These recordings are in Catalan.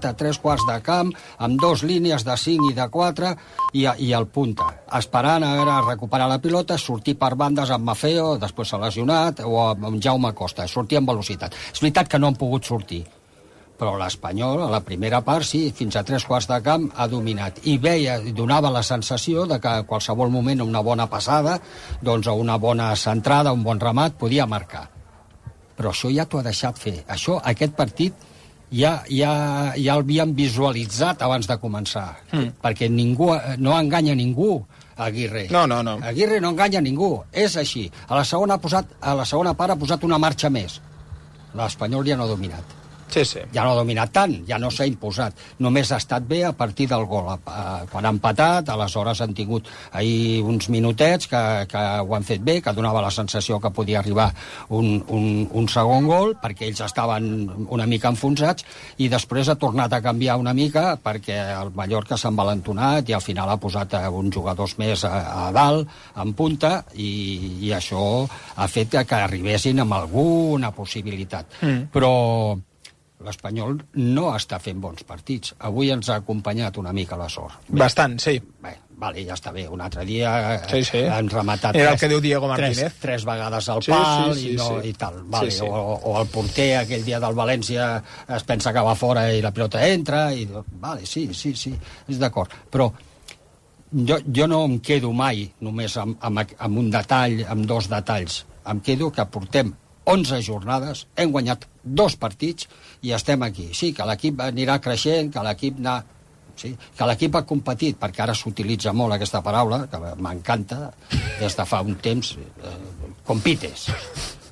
a 3 quarts de camp, amb 2 línies de 5 i de 4, i el punta, esperant a veure, recuperar la pilota, sortir per bandes amb Maffeo, després s'ha lesionat, o amb Jaume Costa, sortir amb velocitat. És veritat que no han pogut sortir, però l'Espanyol, a la primera part, sí, fins a 3 quarts de camp ha dominat. I donava la sensació de que a qualsevol moment una bona passada, doncs una bona centrada, un bon ramat, podia marcar. Però això ja t'ho ha deixat fer. Aquest partit ja l'havíem visualitzat abans de començar, perquè ningú no enganya ningú, Aguirre. No. Aguirre no enganya ningú, és així. A la segona part ha posat una marxa més. L'Espanyol ja no ha dominat. Sí. Ja no ha dominat tant, ja no s'ha imposat. Només ha estat bé a partir del gol. Quan ha empatat, aleshores han tingut ahir uns minutets que ho han fet bé, que donava la sensació que podia arribar un segon gol, perquè ells estaven una mica enfonsats, i després ha tornat a canviar una mica perquè el Mallorca s'ha envalentonat i al final ha posat uns jugadors més a dalt, en punta, i això ha fet que arribessin amb alguna possibilitat. Però l'Espanyol no està fent bons partits. Avui ens ha acompanyat una mica la sort. Bastant, sí. Bé, vale, ja està bé. Un altre dia sí. han rematat era el que diu Diego Martínez. Tres vegades al pal sí. i tal. Vale. Sí. O el porter aquell dia del València es pensa que va fora i la pilota entra. Vale, sí, és d'acord. Però jo no em quedo mai només amb un detall, amb 2 detalls. Em quedo que portem 11 jornades, hem guanyat 2 partits i estem aquí. Sí, que l'equip anirà creixent, que l'equip que l'equip ha competit, perquè ara s'utilitza molt aquesta paraula, que m'encanta, des de fa un temps, compites.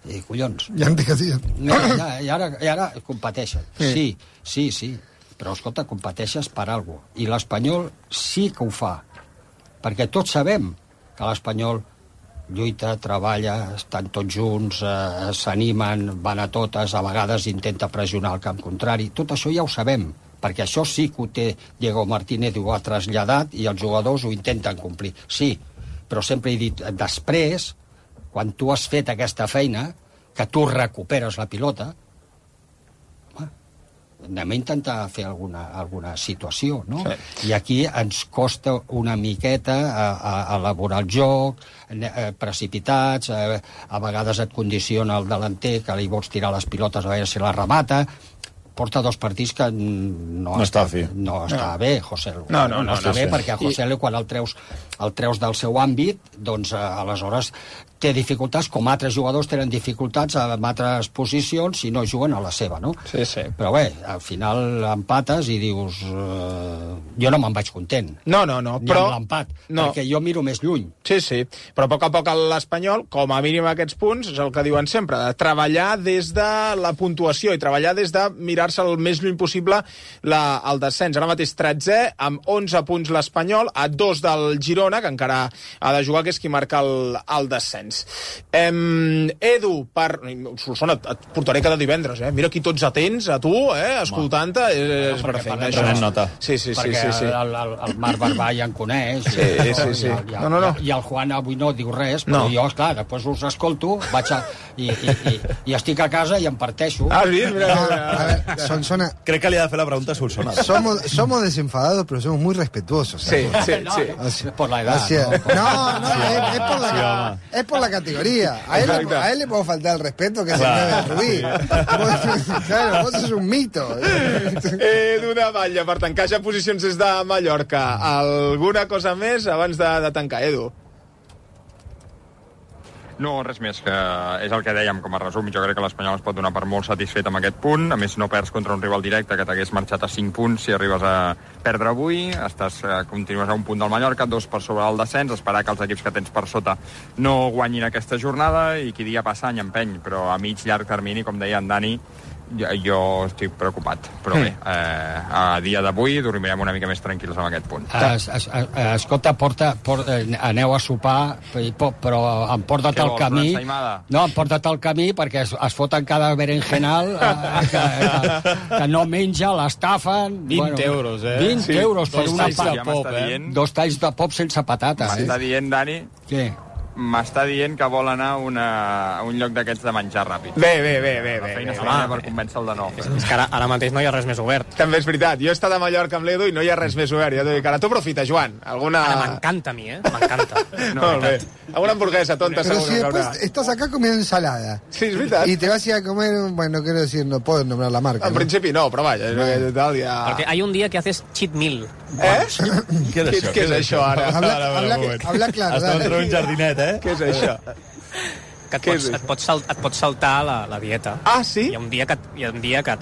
I collons. Ja em digues. I ara competeixen. Sí. Però, escolta, competeixes per alguna cosa. I l'Espanyol sí que ho fa. Perquè tots sabem que l'Espanyol lluita, treballa, estan tots junts, s'animen, van a totes, a vegades intenta pressionar el camp contrari. Tot això ja ho sabem, perquè això sí que ho té Diego Martínez, ho ha traslladat i els jugadors ho intenten complir. Sí, però sempre he dit, després, quan tu has fet aquesta feina, que tu recuperes la pilota, anem a intentar fer alguna situació, no? Sí. I aquí ens costa una miqueta a elaborar el joc, precipitats, a vegades et condiciona el delanter, que li vols tirar les pilotes a veure si la remata. Porta 2 partits que no està bé, Joselu. No està bé, perquè a Joselu, quan el treus del seu àmbit, doncs aleshores té dificultats, com altres jugadors tenen dificultats en altres posicions si no juguen a la seva, no? Sí. Però bé, al final empates i dius... Jo no me'n vaig content. No, ni però... amb l'empat, perquè jo miro més lluny. Sí. Però a poc l'Espanyol, com a mínim aquests punts, és el que diuen sempre, de treballar des de la puntuació i treballar des de mirar-se el més lluny possible el descens. Ara mateix 13è, amb 11 punts l'Espanyol, a 2 del Girona, que encara ha de jugar, que és qui marca el descens. Edu, Solsona, et portaré cada divendres, Mira aquí tots atents, a tu, escoltant-te, és perfecte. Prenent nota. Sí. Perquè el Marc Barbà ja en coneix. Sí. No. I el Juan avui no diu res, però jo, clar, després us escolto, i estic a casa i em parteixo. Sí, mira. A ver, Solsona... Crec que li ha de fer la pregunta a Solsona. Somos desenfadados, pero somos muy respetuosos. Sí. Por la edad. Es por la categoría. A él le puede faltar el respeto que se debe Rubí. Claro, vos sos un mito. Edu de Batlle, per tancar ja posicions des de Mallorca. Alguna cosa més abans de tancar, Edu? No, res més, que és el que dèiem com a resum. Jo crec que l'Espanyol es pot donar per molt satisfet amb aquest punt. A més, no perds contra un rival directe que t'hagués marxat a 5 punts si arribes a perdre avui. Continues a un punt del Mallorca, 2 per sobre el descens, esperar que els equips que tens per sota no guanyin aquesta jornada i qui dia passa any empeny. Però a mig llarg termini, com deia en Dani, jo estic preocupat, però bé, a dia d'avui dormirem una mica més tranquils amb aquest punt. Escolta, aneu a sopar, però emporta't al camí. No, emporta't al camí perquè es foten cada berenjenal que no menja, l'estafen. 20 euros, 20 euros per una pop. 2 talls de pop sense patates. M'està dient, Dani... Què? m'està dient que vol anar a un lloc d'aquests de menjar ràpid. Bé. La feina seria per convèncer-el de no. És que ara mateix no hi ha res més obert. També és veritat. Jo he estat a Mallorca amb l'Edu i no hi ha res més obert. Ja t'ho dic. Ara tu aprofita, Joan. Alguna... Ara m'encanta a mi, m'encanta. Molt bé. Alguna hamburguesa tonta, Pero segur si que haurà. después estás acá comiendo ensalada. Sí, és veritat. Y te vas a ir a comer, bueno, no quiero decir, no puedo nombrar la marca. En principi no, però vaja, tal, ja... Porque hay un día que haces cheat meal. Què és això, ara? Habla claro, Està dale. entre un jardinet, Què és això? Que et pots saltar la dieta. Ah, sí? Hi ha un dia que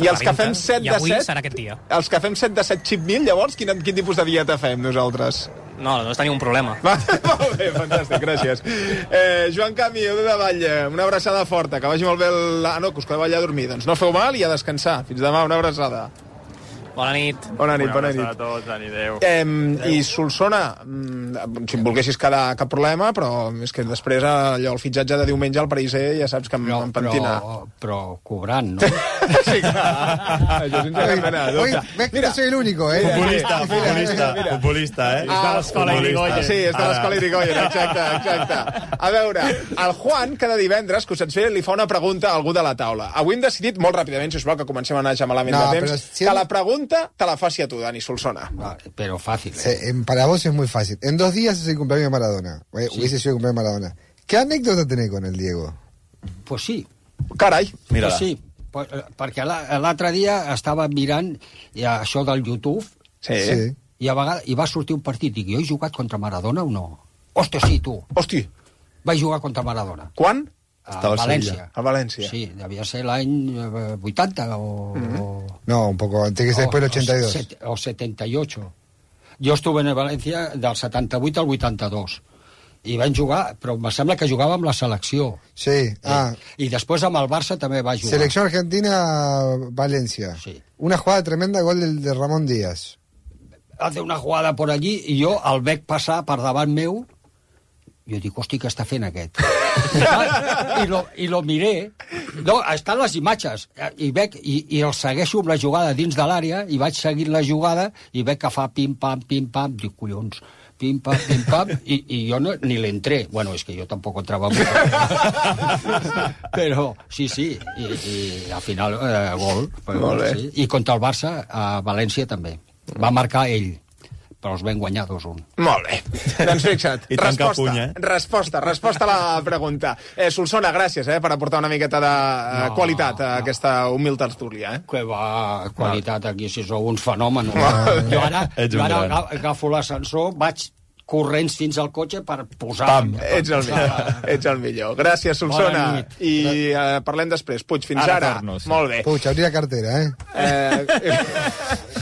I els que fem 7 i de avui 7? serà aquest dia. Els que fem 7 de 7 chip meal, llavors, quin tipus de dieta fem nosaltres? No tenim un problema. Molt bé, fantàstic, gràcies. Joan Camí, Edu de Vall, una abraçada forta, que vagi molt bé no, que us quedeu allà a dormir. Doncs no feu mal i a descansar. Fins demà, una abraçada. Bona nit. Bona nit. Una abraçada a tots, adéu. I Solsona, si em volguessis quedar cap problema, però és que després allò, el fitxatge de diumenge al Pariser ja saps que em pentina. Però cobrant, no? Sí, clar. Això sense cap mena de Hoy, dubte. ves que no soy el único, ¿eh? Futbolista, És de l'escola Irigoyen. Sí, és de l'escola Irigoyen, exacte. A veure, el Juan, cada divendres, que us et li fa una pregunta a algú de la taula. Avui hem decidit, molt ràpidament, sisplau, que comencem a anar ja malament de temps, que la pregunta te la faci a tu, Dani Solsona. Pero fácil. Para vos es muy fácil. En 2 días es el cumpleaños de Maradona. Hubiese sido el cumpleaños de Maradona. ¿Qué anécdota tenés con el Diego? Pues sí. Carai. Pues sí. Perquè l'altre dia estava mirant això del YouTube i a vegades va sortir un partit i dic, jo he jugat contra Maradona o no? Hòstia, sí, tu. Hosti. Vaig jugar contra Maradona. Quan? A València. A València. Sí, devia ser l'any 80 o... No, un poco antes, que ser después del 82. O 78. Jo estuve en València del 78 al 82. I vam jugar, però em sembla que jugava amb la selecció. Sí, I després amb el Barça també va jugar. Selección Argentina, Valencia. Sí. Una jugada tremenda, gol de Ramón Díaz. Hace una jugada por allí i jo el veig passar per davant meu. Jo dic, hosti, què està fent aquest? I lo miré. No, estan les imatges. I el segueixo amb la jugada dins de l'àrea i vaig seguint la jugada i veig que fa pim-pam. Dic, collons, pim-pam, i jo ni l'entré. Bueno, és que jo tampoc entrava molt. Però, sí, i al final, gol. Molt bé. Sí. I contra el Barça, a València també. Va marcar ell, però els vam guanyar 2-1. Molt bé. Doncs fixa't. I tanca puny, Resposta a la pregunta. Solsona, gràcies per aportar una miqueta de qualitat a aquesta humil tertúlia. Que va, qualitat aquí, si sou uns fenòmenos. Jo ara agafo l'ascensor, vaig corrents fins al cotxe per posar... Ets el millor. Gràcies, Solsona. I parlem després. Puig, fins ara. Molt bé. Puig, abrir la cartera,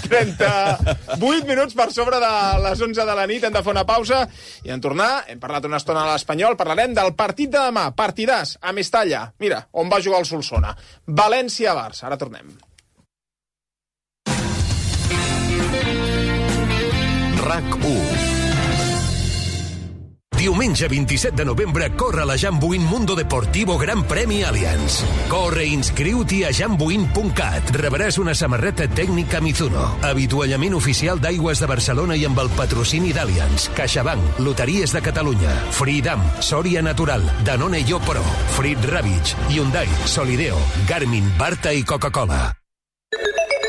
38 minuts per sobre de les 11 de la nit. Hem de fer una pausa i en tornar. Hem parlat una estona a l'Espanyol. Parlarem del partit de demà. Partidàs a Mestalla. Mira, on va jugar el Solsona. València-Barça. Ara tornem. RAC1. Diumenge 27 de novembre corre la Jambuin Mundo Deportivo Gran Premi Allianz. Corre i inscriu-t'hi a jambuin.cat. Rebràs una samarreta tècnica Mizuno, avituallament oficial d'Aigües de Barcelona i amb el patrocini d'Allianz, CaixaBank, Loteries de Catalunya, Freedom, Soria Natural, Danone Yo Pro, Frit Ravitch, Hyundai, Solideo, Garmin, Barta i Coca-Cola.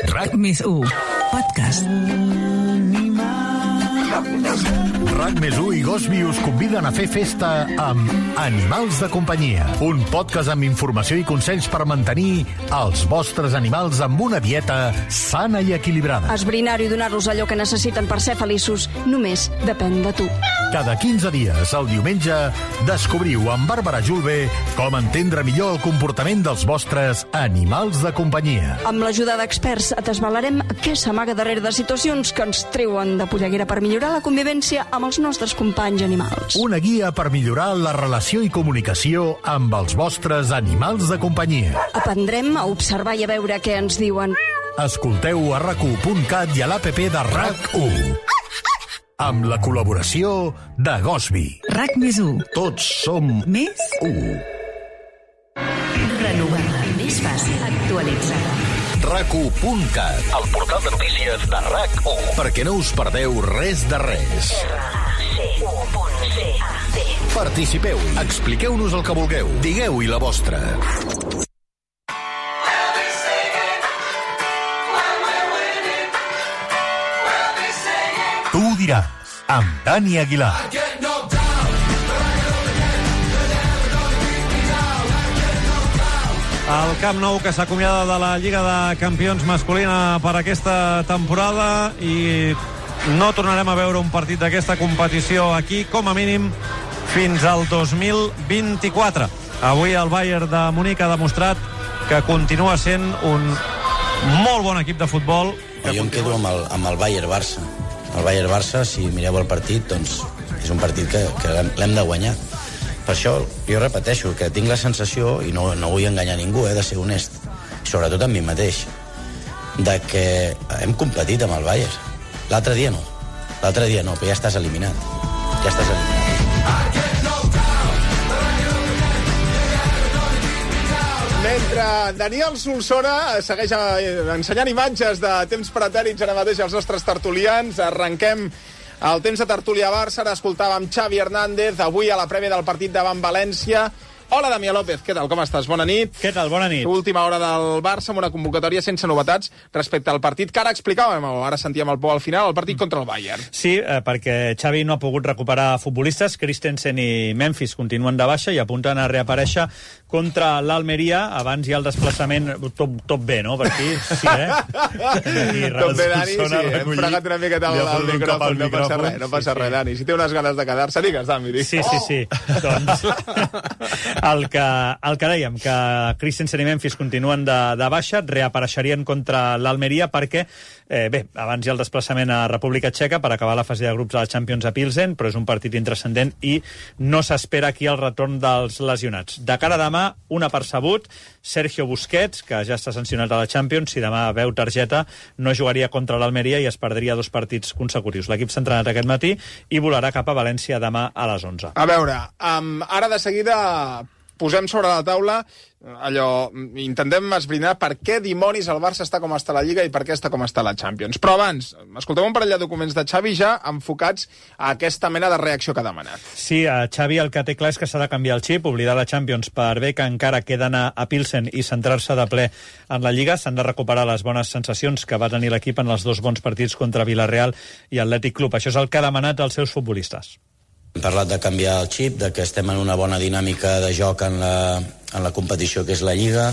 RAC+1 Podcast. RAC+1 i Gosby us conviden a fer festa amb Animals de companyia, un podcast amb informació i consells per mantenir els vostres animals amb una dieta sana i equilibrada. Esbrinar-ho i donar-los allò que necessiten per ser feliços només depèn de tu. Cada 15 dies, el diumenge, descobriu amb Bàrbara Julve com entendre millor el comportament dels vostres animals de companyia. Amb l'ajuda d'experts et desvelarem què s'amaga darrere de situacions que ens treuen de polleguera per millorar la convivència amb els nostres companys animals. Una guia per millorar la relació i comunicació amb els vostres animals de companyia. Aprendrem a observar i a veure què ens diuen. Escolteu a RAC1.cat i a l'APP de RAC1. Amb la col·laboració de Gosby. RAC+1. Tots som més 1. Renovada. Més fàcil. Actualitzada. RAC1.cat, el portal de notícies de RAC1. Perquè no us perdeu res de res. RAC1.ca C. Participeu, expliqueu-nos el que vulgueu, digueu-hi la vostra. Tu ho diràs, amb Dani Aguilar. El Camp Nou, que s'acomiada de la Lliga de Campions masculina per aquesta temporada, i no tornarem a veure un partit d'aquesta competició aquí, com a mínim, fins al 2024. Avui el Bayern de Munic ha demostrat que continua sent un molt bon equip de futbol. Jo em quedo amb el Bayern-Barça. El Bayern-Barça, si mireu el partit, doncs és un partit que l'hem de guanyar. Per això jo repeteixo que tinc la sensació, i no vull enganyar ningú, de ser honest, sobretot amb mi mateix, de que hem competit amb el Bayern. L'altre dia no, però ja estàs eliminat. Mentre Daniel Solsona segueix ensenyant imatges de temps pretèrits ara mateix als nostres tertulians, arrenquem el temps de tertúlia Barça. Ara escoltàvem Xavi Hernández, avui a la prèvia del partit davant València. Hola, Damià López, què tal, com estàs? Bona nit. Què tal, bona nit. Última hora del Barça amb una convocatòria sense novetats respecte al partit que ara explicàvem, ara sentíem el Pau al final, el partit contra el Bayern. Sí, perquè Xavi no ha pogut recuperar futbolistes. Christensen i Memphis continuen de baixa i apunten a reaparèixer contra l'Almeria. Abans hi ha el desplaçament tot bé, no? Per aquí, sí, Tot bé, Dani, sí, hem fregat una miqueta el micròfon, no passa res, Dani. Si té unes ganes de quedar-se, digues, Dani. Sí. Doncs el que dèiem, que Christensen i Memphis continuen de baixa, reapareixerien contra l'Almeria perquè, abans hi ha el desplaçament a República Txeca per acabar la fase de grups de la Champions a Pilsen, però és un partit intranscendent i no s'espera aquí el retorn dels lesionats. De cara a demà, un apercebut, Sergio Busquets, que ja està sancionat a la Champions, si demà veu targeta, no jugaria contra l'Almeria i es perdria 2 partits consecutius. L'equip s'ha entrenat aquest matí i volarà cap a València demà a les 11. A veure, ara de seguida posem sobre la taula intentem esbrinar per què dimonis el Barça està com està a la Lliga i per què està com està a la Champions. Però abans, escoltem un parell de documents de Xavi ja enfocats a aquesta mena de reacció que ha demanat. Sí, a Xavi el que té clar és que s'ha de canviar el xip, oblidar la Champions per bé que encara queda anar a Pilsen i centrar-se de ple en la Lliga. S'han de recuperar les bones sensacions que va tenir l'equip en els 2 bons partits contra Villarreal i Atlètic Club. Això és el que ha demanat als seus futbolistes. Hem parlat de canviar el xip, de que estem en una bona dinàmica de joc en la competició que és la Lliga,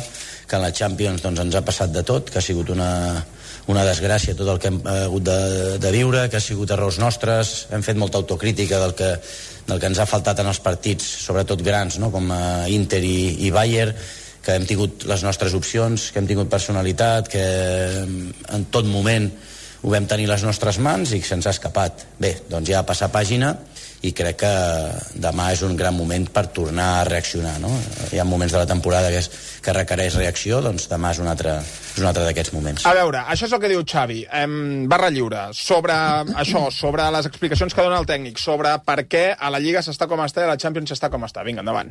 que en la Champions doncs, ens ha passat de tot, que ha sigut una desgràcia tot el que hem hagut de viure, que ha sigut errors nostres, hem fet molta autocrítica del que ens ha faltat en els partits, sobretot grans, no? Com Inter i Bayern, que hem tingut les nostres opcions, que hem tingut personalitat, que en tot moment ho vam tenir les nostres mans i que se'ns ha escapat. Bé, doncs ja passar pàgina, i crec que demà és un gran moment per tornar a reaccionar, no? Hi ha moments de la temporada que requereix reacció, doncs demà és un altre d'aquests moments. A veure, això és el que diu Xavi, barra lliure, sobre això, sobre les explicacions que dona el tècnic, sobre per què a la Lliga s'està com està i a la Champions s'està com està. Vinga, endavant.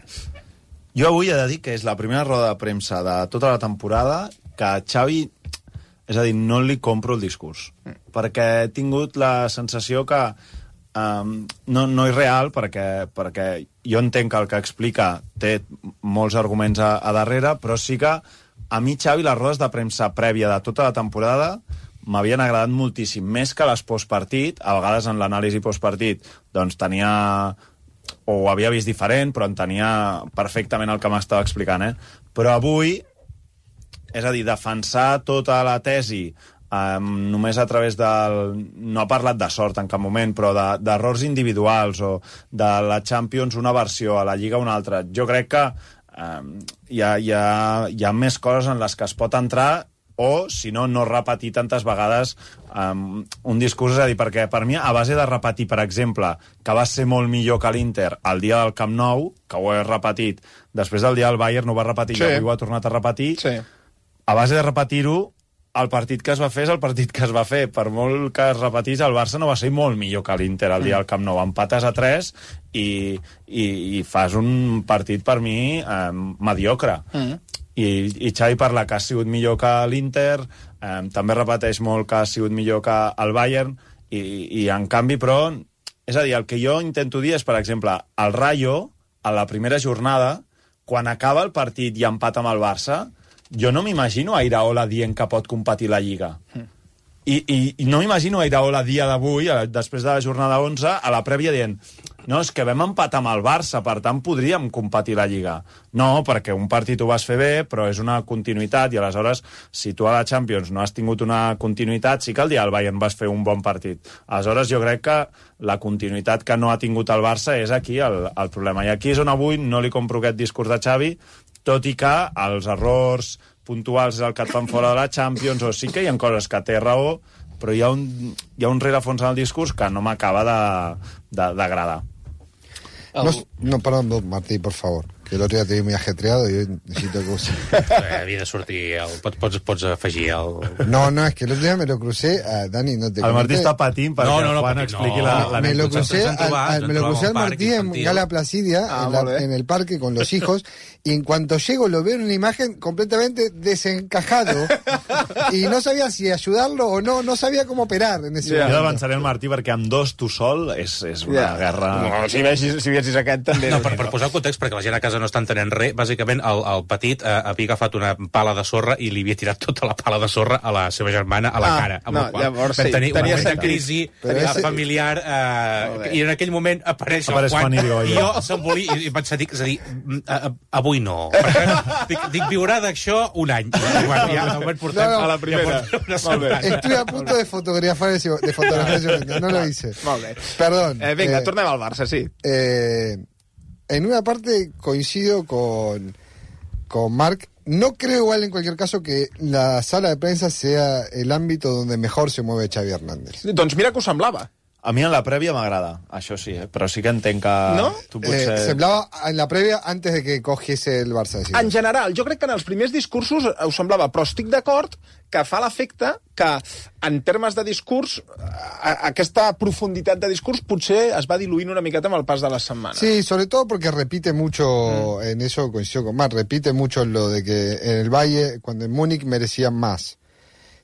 Jo avui he de dir que és la primera roda de premsa de tota la temporada que Xavi, és a dir, no li compro el discurs, perquè he tingut la sensació que no és real, perquè jo entenc que el que explica té molts arguments a darrere, però sí que a mi, Xavi, les rodes de premsa prèvia de tota la temporada m'havien agradat moltíssim, més que les postpartit. A vegades en l'anàlisi postpartit doncs tenia, o ho havia vist diferent, però entenia perfectament el que m'estava explicant, Però avui, és a dir, defensar tota la tesi només a través no ha parlat de sort en cap moment, però d'errors individuals o de la Champions una versió, a la Lliga una altra. Jo crec que hi ha més coses en les que es pot entrar, o, si no repetir tantes vegades un discurs. És a dir, perquè per mi, a base de repetir, per exemple, que va ser molt millor que l'Inter el dia del Camp Nou, que ho he repetit, després del dia del Bayern no ho va repetir, i avui ho ha tornat a repetir, a base de repetir-ho, el partit que es va fer és el partit que es va fer. Per molt que es repetís, el Barça no va ser molt millor que l'Inter el dia del Camp Nou. Empates a 3 i fas un partit, per mi, mediocre. I Xavi parla que ha sigut millor que l'Inter, també repeteix molt que ha sigut millor que el Bayern, i en canvi, però, És a dir, el que jo intento dir és, per exemple, el Rayo, a la primera jornada, quan acaba el partit i empata amb el Barça, jo no m'imagino a Iraola dient que pot competir la Lliga. I no m'imagino a Iraola dia d'avui, després de la jornada 11, a la prèvia dient no, és que vam empatar amb el Barça, per tant podríem competir la Lliga. No, perquè un partit ho vas fer bé, però és una continuïtat, i aleshores, si tu a la Champions no has tingut una continuïtat, sí que el dia del Bayern vas fer un bon partit. Aleshores, jo crec que la continuïtat que no ha tingut el Barça és aquí el problema. I aquí és on avui no li compro aquest discurs de Xavi, tot i que els errors puntuals és el que et fan fora de la Champions, o sí que hi ha coses que té raó, però hi ha un rerefons en el discurs que no m'acaba d'agradar. No, perdón, Martí, por favor. Que el otro día te vi muy ajetreado y hoy necesito que... Havia de sortir... Pots afegir el... No, es que el otro día me lo crucé a Dani, no te comenté. El Martí està patint perquè el Juan expliqui la me lo crucé al Martí en Gala Placidia, en el parque con los hijos, y en cuanto llego lo veo en una imagen completamente desencajado y no sabía si ayudarlo o no sabía cómo operar en ese momento. Jo avançaré el Martí perquè amb dos tu sol és una guerra... No, si veiessis aquest també... No, per posar el context, perquè la gent a casa no està entenent res, bàsicament el petit havia agafat una pala de sorra i li havia tirat tota la pala de sorra a la seva germana a la cara, amb la qual llavors, vam tenir una crisi familiar i en aquell moment apareix el Juan i jo s'embolia i vaig dir, és a dir, avui no. Dic, viurà d'això un any. Ja ho vam portar a la primera. Estuve a punto de fotografiar ese momento, no lo hice. Perdón. Venga, tornem al Barça, sí. En una parte coincido con Marc. No creo igual en cualquier caso que la sala de prensa sea el ámbito donde mejor se mueve Xavi Hernández. Doncs mira que ho semblava. A mi en la prèvia m'agrada, això sí, però sí que entenc que... No? Tu potser... semblava en la prèvia antes de que cogiese el Barça. Sí. En general, jo crec que en els primers discursos ho semblava, però estic d'acord que fa l'efecte que, en termes de discurs, aquesta profunditat de discurs potser es va diluint una miqueta amb el pas de les setmanes. Sí, sobre todo porque repite mucho, en eso coincido con Marc, repite mucho lo de que en el Valle, cuando en Múnich merecían más.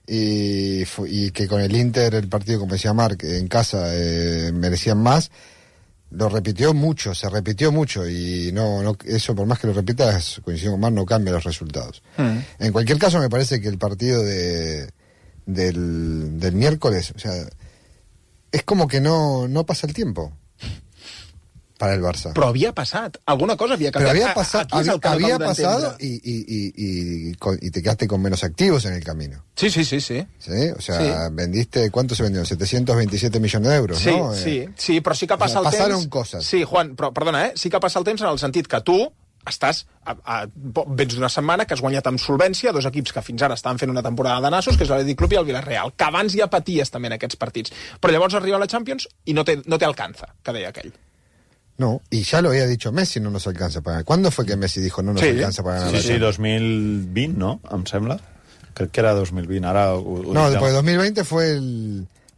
Y que con el Inter, el partido, como decía Marc, en casa merecían más, lo repitió mucho, se repitió mucho, y no eso, por más que lo repitas, coincido con Marc, no cambia los resultados. En cualquier caso, me parece que el partido del miércoles, o sea, es como que no pasa el tiempo para el Barça. Però havia passat. Alguna cosa havia canviat. Pero había pasado y te quedaste con menos activos en el camino. Sí. ¿Sí? O sea, vendiste... ¿Cuánto se vendió? 727 milloons d'euros, sí, no? Sí, però sí que passa el temps... Pasaron cosas. Sí, Juan, però perdona, sí que passa el temps en el sentit que tu estàs vens d'una setmana que has guanyat amb solvència dos equips que fins ara estaven fent una temporada de nassos, que és l'Atlètic Club i el Villarreal, que abans ja paties també en aquests partits. Però llavors arriba a la Champions i no te alcanza, que deia aquell. No, y ya lo había dicho Messi, no nos alcanza para ganar. ¿Cuándo fue que Messi dijo no nos alcanza para ganar? Sí, 2020, no? Em sembla. Crec que era 2020. Ara no, después de 2020 fue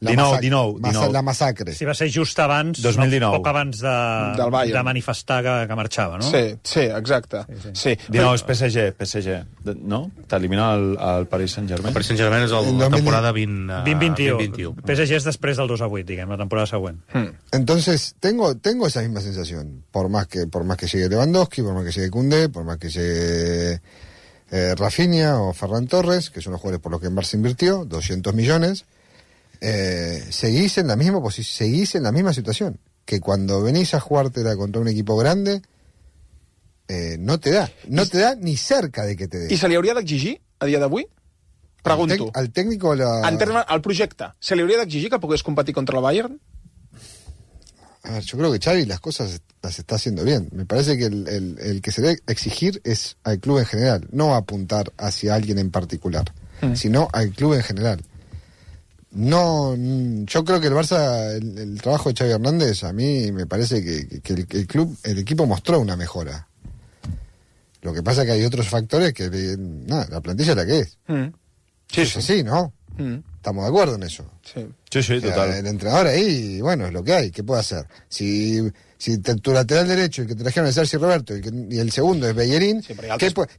la masacre. Sí, va ser just abans, 2019. poc abans de manifestar que marxava, no? Sí, exacte. Sí. 19 és PSG, no? T'elimina el Paris Saint-Germain. El Paris Saint-Germain és la temporada 2021. PSG és després del 2-8, diguem, la temporada següent. Entonces, tengo esa misma sensación. Por más que llegue Lewandowski, por más que llegue Koundé, por más que llegue Rafinha o Ferran Torres, que son los jugadores por los que en Barça invirtió, 200 millones... seguís en la misma situación, que cuando venís a jugártela contra un equipo grande no te da ni cerca de que te dé. I se li hauria d'exigir a dia d'avui? Pregunto. Al técnico en termes al projecte, se li hauria d'exigir que pogués competir contra el Bayern? A ver, yo creo que Xavi las cosas las está haciendo bien. Me parece que el que se debe exigir es al club en general, no apuntar hacia alguien en particular, sino al club en general. No, yo creo que el Barça, el trabajo de Xavi Hernández, a mí me parece que el equipo mostró una mejora. Lo que pasa es que hay otros factores que, la plantilla es la que es. Sí, es así, ¿no? Estamos de acuerdo en eso. Sí, o sea, total. El entrenador ahí, bueno, es lo que hay. ¿Qué puede hacer? Si tu lateral derecho, el que trajeron es Sergi Roberto, y el segundo es Bellerín, sí,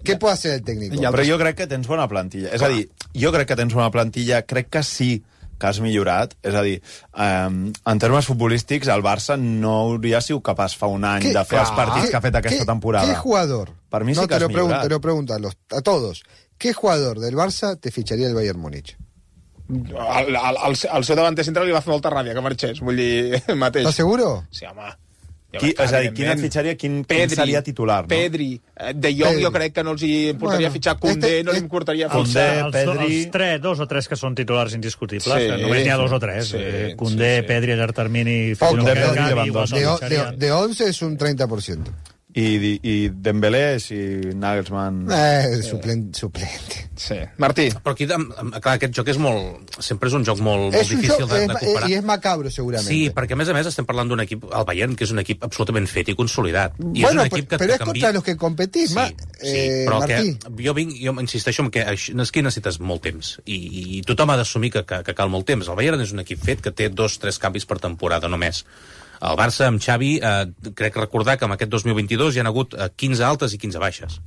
¿qué puede hacer el técnico? Però jo crec que tens bona plantilla. És a dir, jo crec que tens bona plantilla, crec que sí que has millorat. És a dir, en termes futbolístics, el Barça no hauria sigut capaç fa un any de fer els partits que ha fet aquesta temporada. ¿Qué jugador? Per mi sí que has millorat. Te lo pregunto a todos. ¿Qué jugador del Barça te ficharía el Bayern Múnich? El seu davanter central li va fer molta ràbia que marxés, vull dir, mateix. ¿Estás seguro? Sí, home. És a dir, quin et fitxaria, quin seria titular? No? Pedri. De Jong jo crec que no els hi importaria fitxar. Koundé no li importaria fitxar. Pedri... Dos o tres que són titulars indiscutibles, només n'hi ha dos o tres. Koundé, Pedri, a llarg termini... De 11 és un 30%. I Dembélé i Nagelsmann... Suplente. Sí. Martí. Però aquí, clar, aquest joc és molt... Sempre és un joc molt difícil de comparar. I és macabro, segurament. Sí, perquè a més estem parlant d'un equip, el Bayern, que és un equip absolutament fet i consolidat. I bueno, és un equip que però és contra los que competís, però Martí. Jo insisteixo en que aquí necessites molt temps. I tothom ha d'assumir que cal molt temps. El Bayern és un equip fet que té 2-3 canvis per temporada només. El Barça, amb Xavi, crec recordar que en aquest 2022 hi ha hagut 15 altes i 15 baixes.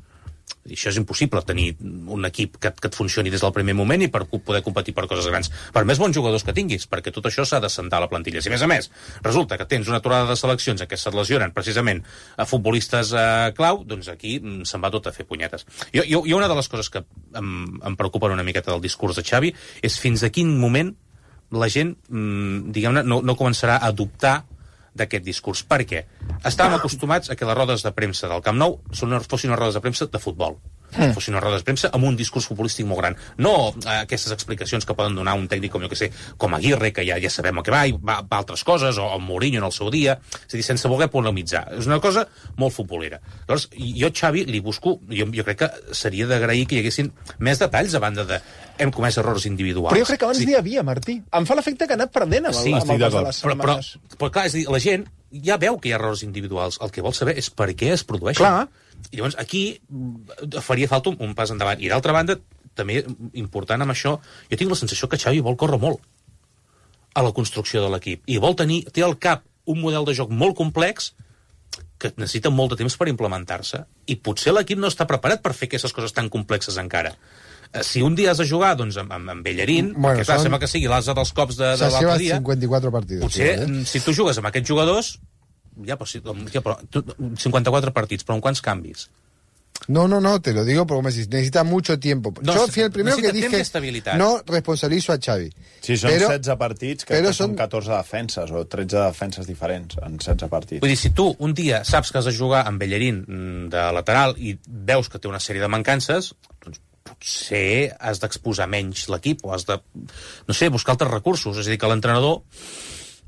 I això és impossible, tenir un equip que et funcioni des del primer moment i per poder competir per coses grans. Per més bons jugadors que tinguis, perquè tot això s'ha de sentar a la plantilla. Si, a més, resulta que tens una aturada de seleccions en què se't lesionen precisament a futbolistes clau, doncs aquí se'n va tot a fer punyetes. Jo una de les coses que em preocupen una miqueta del discurs de Xavi és fins a quin moment la gent, diguem-ne, no començarà a adoptar d'aquest discurs, perquè estàvem acostumats a que les rodes de premsa del Camp Nou fossin unes rodes de premsa de futbol. Fossin unes rodes de premsa amb un discurs futbolístic molt gran. No aquestes explicacions que poden donar un tècnic com, jo que sé, com Aguirre, que ja sabem el que va, i va a altres coses, o Mourinho en el seu dia, és a dir, sense voler polemitzar. És una cosa molt futbolera. Llavors, jo, Xavi, li busco, jo crec que seria d'agrair que hi haguessin més detalls a banda de hem comès errors individuals. Però jo crec que abans n'hi havia, Martí. Em fa l'efecte que ha anat perdent amb el pas de les setmanes. Però clar, és a dir, la gent ja veu que hi ha errors individuals. El que vol saber és per què es produeixen. Clar. I llavors aquí faria falta un pas endavant. I d'altra banda, també important amb això, jo tinc la sensació que Xavi vol córrer molt a la construcció de l'equip. I té al cap un model de joc molt complex que necessita molt de temps per implementar-se. I potser l'equip no està preparat per fer aquestes coses tan complexes encara. Si un dia has de jugar doncs, amb Bellerín, que clar, sembla que sigui l'asa dels cops de l'altre dia, 54 partits, potser si tu jugues amb aquests jugadors, però 54 partits, però amb quants canvis? No, te lo digo porque me decís, necesita mucho tiempo. Yo fui el primero que dije, no responsabilizo a Xavi. Sí, són 16 partits, que són 14 defenses, o 13 defenses diferents en 16 partits. Vull dir, si tu un dia saps que has de jugar amb Bellerín de lateral i veus que té una sèrie de mancances, doncs potser has d'exposar menys l'equip o has de, no sé, buscar altres recursos. És a dir, que l'entrenador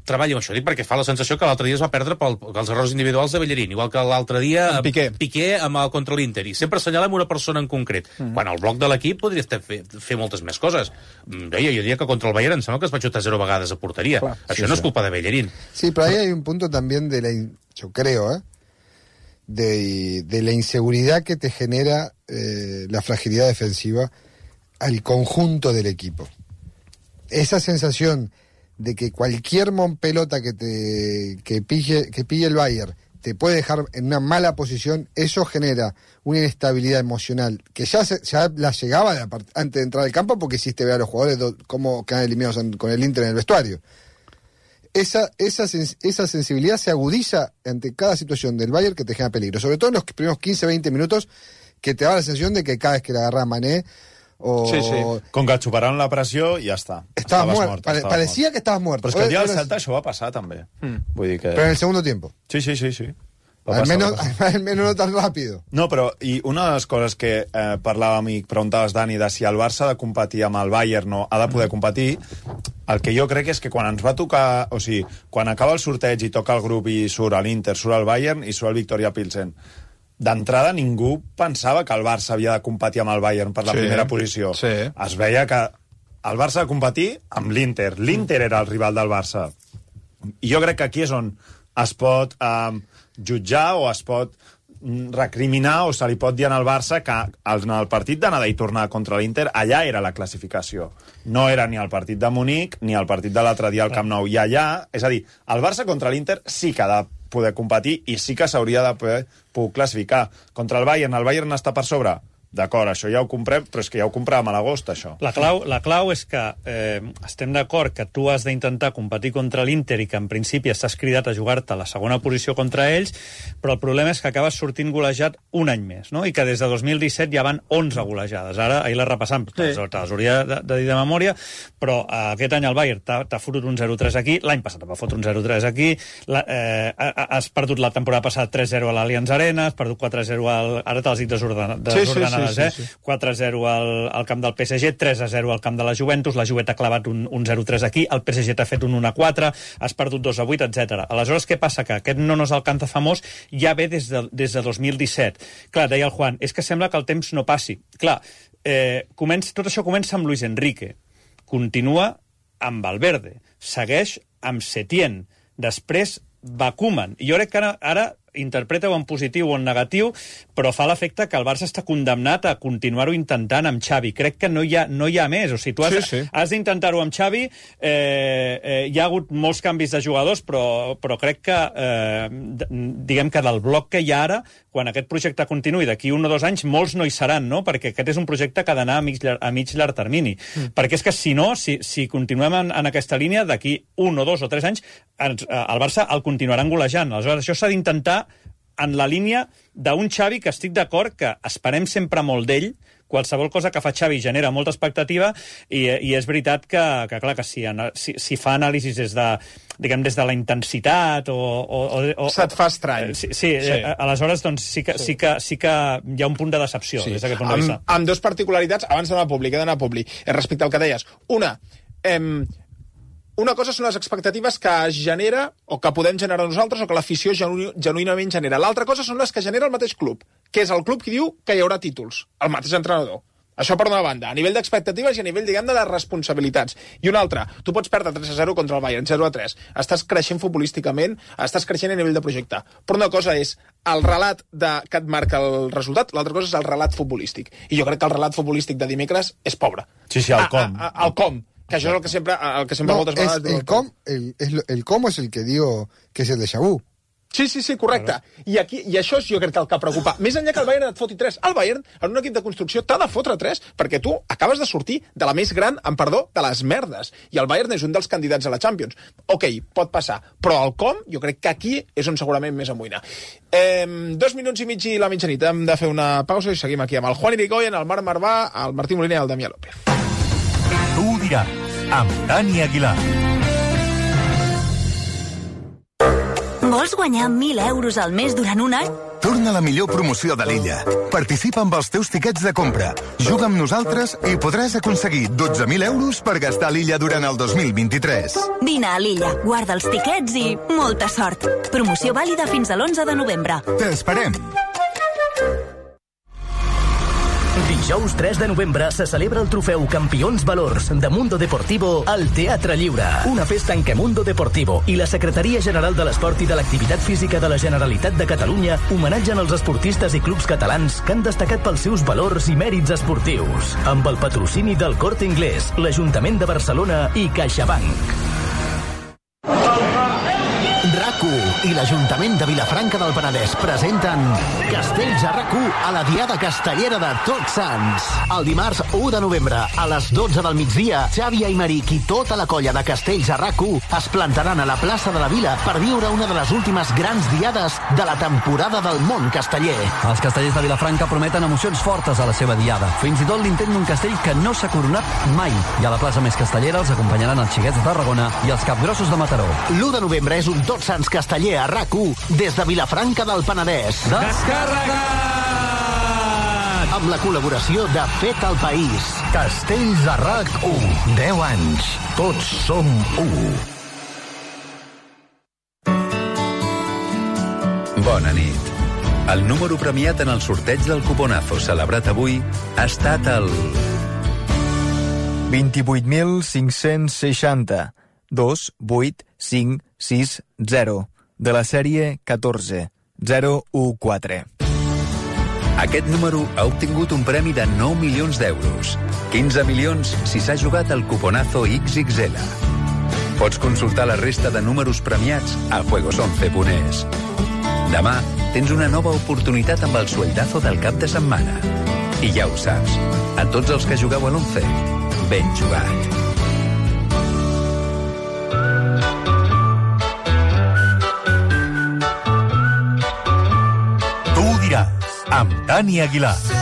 treballi amb això. Dic perquè fa la sensació que l'altre dia es va perdre pels errors individuals de Bellerín, igual que l'altre dia Piqué contra l'Inter. I sempre assenyalem una persona en concret. Quan el bloc de l'equip podria fer moltes més coses. Jo diria que contra el Bayern em sembla que es va xutar 0 vegades a porteria. Clar, això no és culpa de Bellerín. Sí, pero ahí hay un punto también yo creo, de la inseguridad que te genera la fragilidad defensiva al conjunto del equipo. Esa sensación de que cualquier pelota que pille el Bayern te puede dejar en una mala posición, eso genera una inestabilidad emocional que ya la llegaba antes de entrar al campo, porque hiciste ver a los jugadores cómo quedan eliminados con el Inter en el vestuario. Esa sensibilidad se agudiza ante cada situación del Bayern que te genera peligro, sobre todo en los primeros 15-20 minutos, que te da la sensación de que cada vez que le agarra Mané com que et superaven la pressió i ja està. Estaves mort. Parecía que estabas muerto. Però és que el dia del Celta això va passar també. Vull dir que... Però en el segundo tiempo. Sí. Al menos no tan rápido. No, però i una de les coses que parlàvem i preguntaves, Dani, de si el Barça ha de competir amb el Bayern o ha de poder competir, el que jo crec és que quan ens va tocar, o sigui, quan acaba el sorteig i toca el grup i surt l'Inter, surt el Bayern i surt el Victoria Pilsen, d'entrada ningú pensava que el Barça havia de competir amb el Bayern per la primera posició. Es veia que el Barça ha de competir amb l'Inter. L'Inter era el rival del Barça. I jo crec que aquí és on es pot jutjar o es pot recriminar o se li pot dir al Barça que en el partit d'anada i tornada contra l'Inter allà era la classificació. No era ni el partit de Munic ni el partit de l'altre dia al Camp Nou. I allà, és a dir, el Barça contra l'Inter sí que ha de poder competir i sí que s'hauria de poder classificar. Contra el Bayern està per sobre? d'acord, això ja ho comprem, però és que ja ho compràvem a l'agost, això. La clau és que estem d'acord que tu has d'intentar competir contra l'Inter i que en principi estàs cridat a jugar-te a la segona posició contra ells, però el problema és que acabes sortint golejat un any més, no? I que des de 2017 ja van 11 golejades. Ara, ahir les repassam, te les hauria de dir de memòria, però aquest any el Bayern t'ha fotut un 0-3 aquí, l'any passat va fotre un 0-3 aquí, has perdut la temporada passada 3-0 a l'Allianz Arena, has perdut 4-0 ara te les dic desordenades, 4-0 al camp del PSG, 3-0 al camp de la Juventus, la Juve t'ha clavat un 0-3 aquí, el PSG t'ha fet un 1-4, has perdut 2-8, etc. Aleshores, què passa? Que aquest no nos alcanza famós ja ve des de 2017. Clar, deia el Juan, és que sembla que el temps no passi. Clar, tot això comença amb Luis Enrique, continua amb Valverde, segueix amb Setién, després va Koeman. I jo crec que ara interpreta-ho en positiu o en negatiu, però fa l'efecte que el Barça està condemnat a continuar-ho intentant amb Xavi. Crec que no hi ha més. O sigui, tu has d'intentar-ho amb Xavi. Hi ha hagut molts canvis de jugadors, però crec que, diguem que del bloc que hi ha ara, quan aquest projecte continuï d'aquí 1 o 2 anys, molts no hi seran, no? Perquè aquest és un projecte que ha d'anar a mig llarg termini. Perquè és que, si no, si continuem en aquesta línia, d'aquí 1 o 2 o 3 anys, el Barça el continuaran golejant. Aleshores, això s'ha d'intentar en la línia d'un Xavi que estic d'acord que esperem sempre molt d'ell. Qualsevol cosa que fa Xavi genera molta expectativa i és veritat que clar, que si fa anàlisis des de la intensitat o se't fa estrany. Sí. Aleshores, doncs, sí que hi ha un punt de decepció des d'aquest punt de vista. Amb dos particularitats, abans d'anar a Publi, respecte al que deies. Una cosa són les expectatives que es genera o que podem generar nosaltres o que l'afició genuïnament genera. L'altra cosa són les que genera el mateix club, que és el club que diu que hi haurà títols, el mateix entrenador. Això per una banda, a nivell d'expectatives i a nivell, diguem, de les responsabilitats. I una altra, tu pots perdre 3-0 contra el Bayern, 0-3. Estàs creixent futbolísticament, estàs creixent a nivell de projecte. Però una cosa és el relat que et marca el resultat, l'altra cosa és el relat futbolístic. I jo crec que el relat futbolístic de dimecres és pobre. Sí, el com. El com. Que això és el que sempre moltes vegades... El cómo es el que digo que es el déjà vu. Sí, correcte. I això és, jo crec, el que preocupa. Més enllà que el Bayern et foti 3. El Bayern, en un equip de construcció, t'ha de fotre 3, perquè tu acabes de sortir de la més gran, amb perdó, de les merdes. I el Bayern és un dels candidats a la Champions. Ok, pot passar. Però el com, jo crec que aquí és on segurament més amoïna. 2 minuts i mig i la mitjanit. Hem de fer una pausa i seguim aquí amb el Juan Irigoyen, el Marc Marvà, el Martí Molina i el Damià López. Tu ho diràs, amb Dani Aguilar. Vols guanyar 1.000 euros al mes durant un any? Torna la millor promoció de l'illa. Participa amb els teus tiquets de compra. Juga amb nosaltres i podràs aconseguir 12.000 euros per gastar a l'illa durant el 2023. Vine a l'illa, guarda els tiquets i molta sort. Promoció vàlida fins a l'11 de novembre. T'esperem. Dijous 3 de novembre se celebra el trofeu Campions Valors de Mundo Deportivo al Teatre Lliure. Una festa en què Mundo Deportivo i la Secretaria General de l'Esport i de l'Activitat Física de la Generalitat de Catalunya homenatgen els esportistes i clubs catalans que han destacat pels seus valors i mèrits esportius. Amb el patrocini del Corte Inglés, l'Ajuntament de Barcelona i CaixaBank. RAC1 i l'Ajuntament de Vilafranca del Penedès presenten Castells a RAC1 a la Diada Castellera de Tots Sants. El dimarts 1 de novembre, a les 12 del migdia, Xavi Aymeric i tota la colla de Castells a RAC1 es plantaran a la plaça de la Vila per viure una de les últimes grans diades de la temporada del món casteller. Els castellers de Vilafranca prometen emocions fortes a la seva diada. Fins i tot l'intent d'un castell que no s'ha coronat mai. I a la plaça més castellera els acompanyaran els xiquets de Tarragona i els capgrossos de Mataró. L'1 de novembre és un Tots Sants casteller a RAC1 des de Vilafranca del Penedès. Descarregat! Amb la col·laboració de Fet al País. Castells a RAC1. 10 anys. Tots som 1. Bona nit. El número premiat en el sorteig del cuponazo celebrat avui ha estat el... 28.560 28560 de la sèrie 14014. Aquest número ha obtingut un premi de 9 milions d'euros. 15 milions si s'ha jugat al cuponazo XXL. Pots consultar la resta de números premiats a juegos11.es. Demà tens una nova oportunitat amb el sueldazo del cap de setmana. I ja ho saps, a tots els que jugueu a l'11, ben jugat. Tu ho diràs, amb Dani Aguilar.